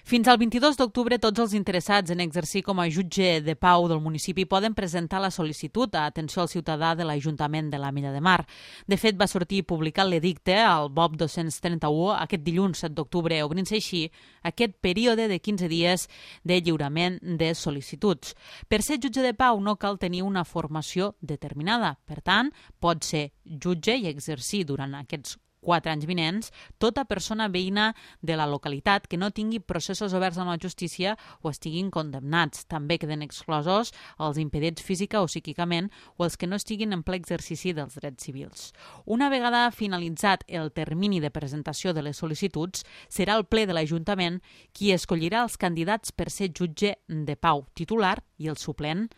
Fins al 22 d'octubre, tots els interessats en exercir com a jutge de pau del municipi poden presentar la sol·licitud a atenció al ciutadà de l'Ajuntament de l'Ametlla de Mar. De fet, va sortir publicat l'edicte al BOP 231 aquest dilluns 7 d'octubre, obrint-se així aquest període de 15 dies de lliurament de sol·licituds. Per ser jutge de pau no cal tenir una formació determinada. Per tant, pot ser jutge i exercir durant aquests 4 anys vinents tota persona veïna de la localitat que no tingui processos oberts amb la justícia o estiguin condemnats. També queden exclosos els impedits física o psíquicament o els que no estiguin en ple exercici dels drets civils. Una vegada finalitzat el termini de presentació de les sol·licituds, serà el ple de l'Ajuntament qui escollirà els candidats per ser jutge de pau titular i el suplent.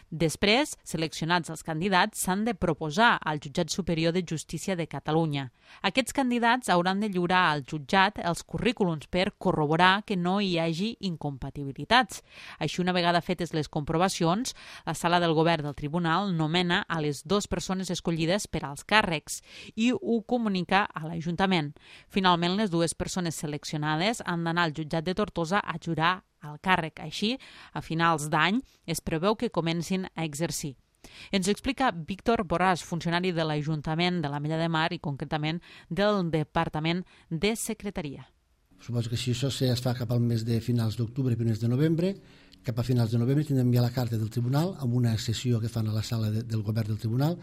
Després, seleccionats els candidats, s'han de proposar al Jutjat Superior de Justícia de Catalunya. Aquests candidats hauran de lliurar al jutjat els currículums per corroborar que no hi hagi incompatibilitats. Així, una vegada fetes les comprovacions, la sala del govern del tribunal nomena a les 2 persones escollides per als càrrecs i ho comunica a l'Ajuntament. Finalment, les 2 persones seleccionades han d'anar al jutjat de Tortosa a jurar al càrrec. Així, a finals d'any, es preveu que comencin a exercir. Ens ho explica Víctor Borràs, funcionari de l'Ajuntament de l'Ametlla de Mar i concretament del Departament de Secretaria. Suposo que si això es fa cap al mes de finals d'octubre i primers de novembre, cap a finals de novembre tindrem ja la carta del tribunal amb una sessió que fan a la sala del govern del tribunal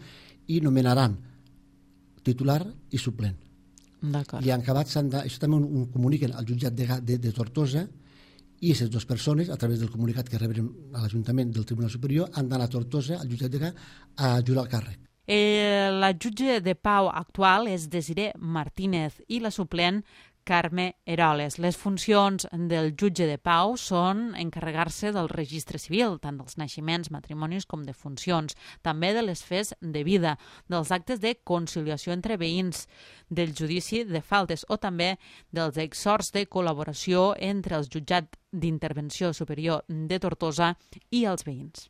i nomenaran titular i suplent. D'acord. I en acabat, això també ho comuniquen al jutjat de Tortosa i aquestes 2 persones, a través del comunicat que rebrem a l'Ajuntament del Tribunal Superior, han d'anar a Tortosa, al jutjat a jurar el càrrec. La jutge de pau actual és Desiré Martínez i la suplent Carme Eroles. Les funcions del jutge de pau són encarregar-se del registre civil, tant dels naixements, matrimonis com de funcions, també de les fes de vida, dels actes de conciliació entre veïns, del judici de faltes o també dels exhorts de col·laboració entre el jutjat d'intervenció superior de Tortosa i els veïns.